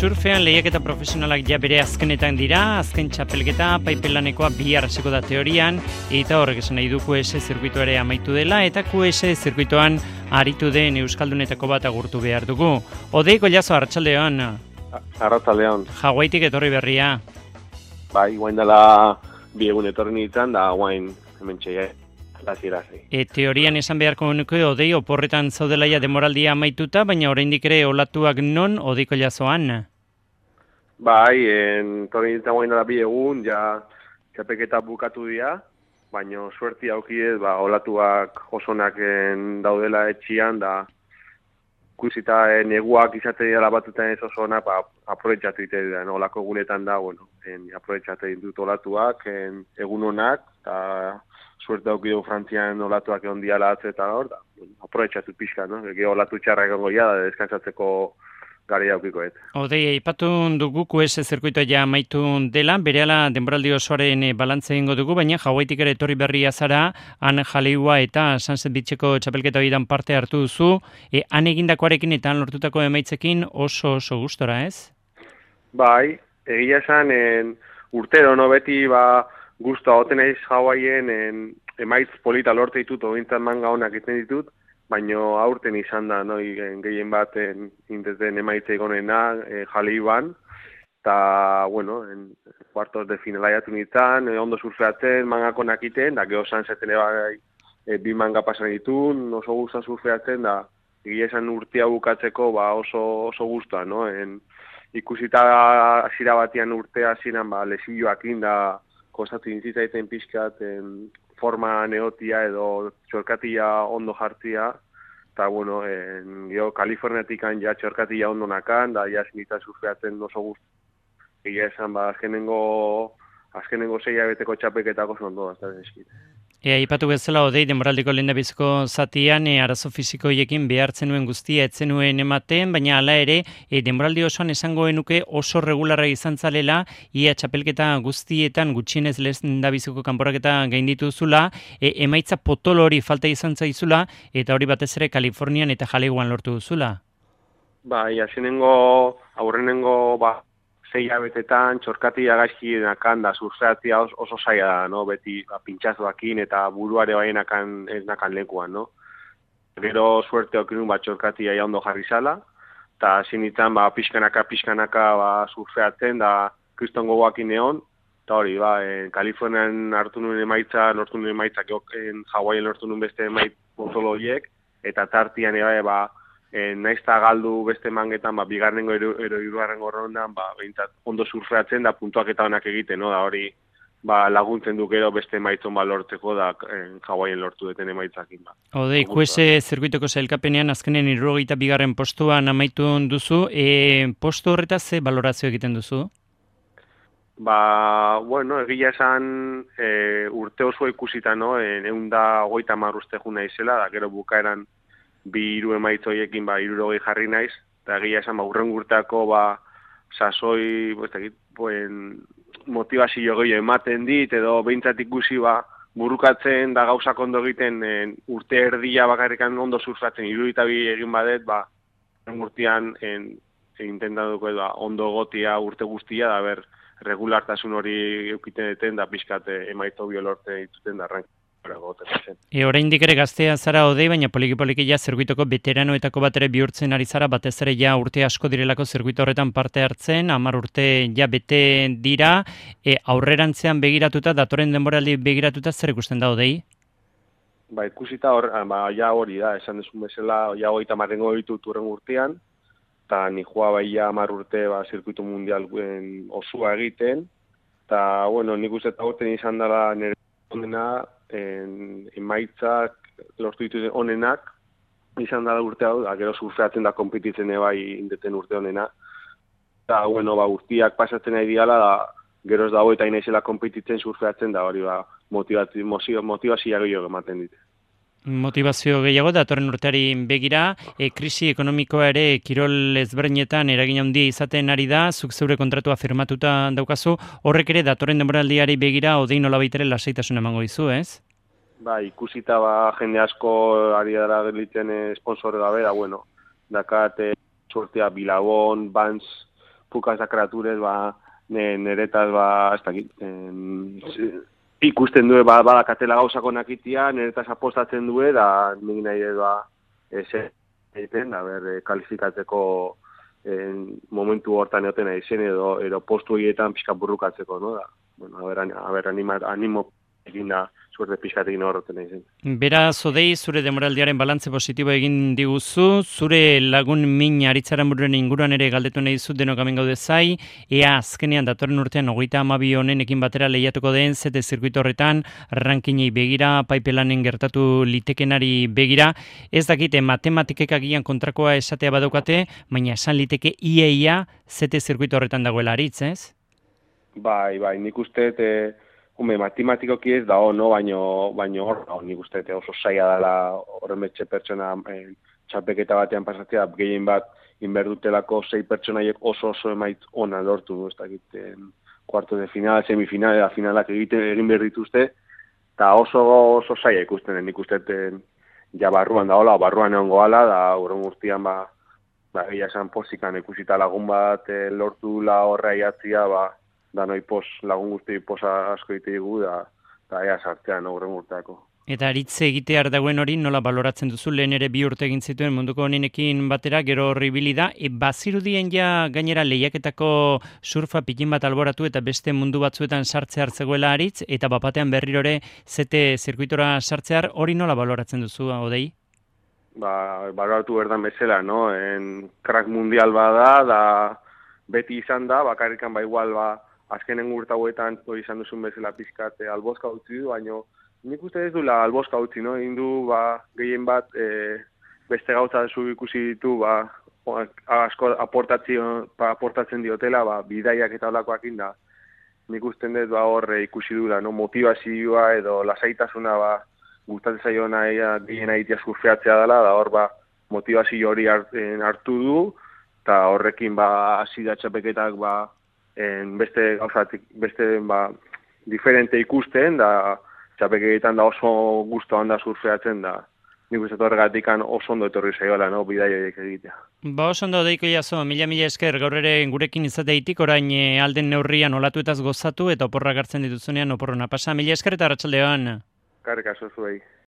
Surfean lehiaketa profesionalak ja bere azkenetan dira, azken txapelketa paipelanekoa bihar hasiko da teorian, eta horrek esan nahi du QS zirkuitoa ere amaitu dela, eta QS zirkuitoan aritu den euskaldunetako bat agurtu behar dugu. Odei Gollazo, arratsaldeon. Arratsaldeon. Hawaiitik etorri berria. Bai, guain dela bi egun etorri nintzen, da guain hemen txeia. Teorian esan beharko nuke Odei oporretan zaudela ja demoraldia amaituta, baina oraindik ere olatuak non Odei Gollazoan? Bai, etorri nintzen guain dela bi egun, ja txapelketa bukatu dira, baina suerti aukidez, olatuak osonak daudela etxian, da ikusita neguak izate dira batutan ez oso ona, aprobetxatu ite dira, olako egunetan da, aprobetxatu ditut olatuak, egun honak, eta suerte daukidu Frantzian olatuak egon diala eta hor, da, aprobetxatu pixka, no? Ege olatu txarra egongo da, deskansatzeko gari daukikoet. Odei, aipatu dugu QS zirkuitoa ja amaitu dela, berehala denboraldi osoaren balantze egingo dugu, baina Hawaiitik ere etorri berria zara, han Jaleiua eta Sunset Beacheko txapelketa horietan parte hartu duzu, han egindakoarekin eta han lortutako emaitzekin oso gustora, ez? Bai, egia esan urtero, no, beti guztua hoten naiz Hawaien emaitz polita lorte ditut, ogintzat manga honak iten ditut, baina aurten izan da, no, gehien bat intezden emaitze egonena Jaleiuan, eta, bueno, kuartos de finala jatu nintzen, ondo surfeatzen, mangako nakiten, da geho Sunsetten bi manga pasan ditun, oso guztua surfeatzen, da egia esan urtea bukatzeko oso guztua, no? Ikusita hasiera batian urtea ziren lesioakin da kostatu intzitzaiten pixkat forma neotia edo txorkatia ondo jartzia, eta, bueno, geho Kaliforniatik ja txorkatia ondo nakan, da ja zinita surfeatzen oso guztu. Egia esan, azkenengo 6 hilabeteko txapelketako oso ondo da, eskit. Aipatu bezala Odei denboraldiko lehendabiziko zatian arazo fisikoiekin behartzen nuen guztia etzen nuen ematen, baina hala ere denboraldi osoan esango genuke oso regularra izan zalela, ia txapelketa guztietan gutxienez lehendabiziko kanporaketa gainditu zula, emaitza potolo hori falta izan zaizula, eta hori batez ere Kalifornian eta Jaleiuan lortu duzula. Bai, aurrenengo 6 hilabetetan txorkatia gaizki nakan da surfeatzea oso zaila da, no? Beti pintxazoakin eta buruare ez nakan lekuan, no? Gero suerte okinun txorkatia ondo jarri zala, eta zinitzen pixkanaka surfeatzen da kriston gogoakin egon, eta hori, Kalifornian lortu nuen emaitza, Hawaien lortu nuen beste emaitz potolo horiek, eta tartian naizta galdu beste mangetan, bigarrengo ero hirugarrengo rondan, behintzat ondo surfeatzen da puntuak eta onak egiten, no? Da hori laguntzen du gero beste emaitzon lortzeko da Hawaien lortu duten emaitzakin. Odei, QS zirkuitoko sailkapenean azkenen 72. postuan amaitu duzu, postu horretaz ze balorazio egiten duzu? Bueno, egia esan urte oso ikusita, no? 130 uste juna izela, da gero bukaeran 2 emaitz horiekin 60 jarri naiz, eta egia esan urren urteako sasoi, motivazio gehiago ematen dit, edo behintzat ikusi burukatzen da gauzak ondo egiten urte erdia bakarrikan ondo surfatzen, 72 egin badet, urtean intentatuko ondo gotia urte guztia, da regulartasun hori eukiten deten, da pixkat emaitzo biolorte dituten da arrank. Oraindik ere gaztea zara Odei, baina poliki ja zirkuitoko veteranoetako bat ere bihurtzen ari zara, batez ere ja urte asko direlako zirkuito horretan parte hartzen, 10 urte ja bete dira, aurrerantzean begiratuta, datoren denboraldi begiratuta, zer ikusten da Odei? Ikusita ja hori da, esan desun bezala, ja 30 ditut urren urtean, eta nihua ja 10 urte zirkuito mundial osua egiten, eta, bueno, nik uste eta urten izan dela nire ondena, emaitzak lortu dituz onenak, izan da urte hau, gero surfeatzen da konpetitzen indeten urte honena. Eta, bueno, guztiak pasatzen nahi diala, gero ez dago eta inaizela konpetitzen surfeatzen, da hori motivazioa gehiago ematen dit. Motivazio gehiago, datorren urteari begira, krisi ekonomikoa ere kirol ezberdinetan eragin handia izaten ari da, zuk zeure kontratua firmatuta daukazu, horrek ere datorren denboraldiari begira Odei nolabait ere lasaitasuna emango dizu, ez? Ikusita jende asko ari dara gelditzen sponsor gabe, da bueno, dakat sortea Bilabon, Vans, pukaz kreaturez, niretaz, ez dakit, ikusten du, badakatela gauzako nakitia, niretaz apostatzen du, da nik nahi egiten, kalifikatzeko momentu hortan egoten nahi zen, edo postu horietan pixka burrukatzeko, no? Da, bueno, animo egin da, suerte pixkatekin horreten nahi zen. Beraz, Odei, zure demoraldiaren balantze positibo egin diguzu, zure lagun min Aritzaren bururen inguruan ere galdetu nahi dizut denok hemen gaude zai, ea azkenean datorren urtean 32 honenekin batera lehiatuko den zete zirkuito horretan, rankinei begira, paipelanen gertatu litekenari begira, ez dakite matematikek agian kontrakoa esatea badaukate, baina esan liteke ia zete zirkuito horretan dagoela Aritz, ez? Bai, nik uste, matematikoki ez da no, baino hor, nik uste oso saia dela horremetxe pertsona txapeketa batean pasatzea, gehien bat inberdutelako 6 pertsonaiek oso emaitz ona lortu, ez dakit, kuarto de final, semifinal, eta finalak egin behar dituzte, eta oso saia ikusten, nik uste ja barruan egon goala, da horren guztian egia esan posikan ikusita lagun bat lortu la horra iatzia, da noi lagun guzti posa asko egite dugu, da ea sartzean horren urteako. Eta Aritze egitear dagoen hori nola baloratzen duzu, lehen ere 2 urte egin zituen munduko honenekin batera, gero horri da, bazirudien ja gainera lehiaketako surfa pikin bat alboratu eta beste mundu batzuetan sartze hartzegoela Aritz, eta bapatean berrirore zete zirkuitora sartzear, hori nola baloratzen duzu, Odei? Baloratu berdan bezala, no? Crack mundial bada, da beti izan da, bakarrikan igual azkenen urtauetan izan duzun bezala pizkat albozka utzi du, baina nik uste ez duela albozka utzi, no? Indu gehien bat beste gauza zu ikusi ditu, asko aportatzen diotela, bidaiak eta olakoakin da. Nik uste dut hor ikusi dula, no? Motivazioa edo lasaitasuna gustatzen zaiona gehien egitea surfeatzea dela, da hor motivazio hori hartu du, eta horrekin hasi da txapeketak beste gauzatik, beste diferente ikusten, da txapeketan da oso gustoan da surfeatzen, da nik uste horregatik oso ondo etorri zaiola, no, bidai horiek egitea. Oso ondo deiko jaso, mila esker gaur ere gurekin izateitik, orain alden neurrian olatuetaz gozatu eta oporrak hartzen dituzunean oporrona pasa. Mila esker eta arratsaldeon. Karrik aso zuei.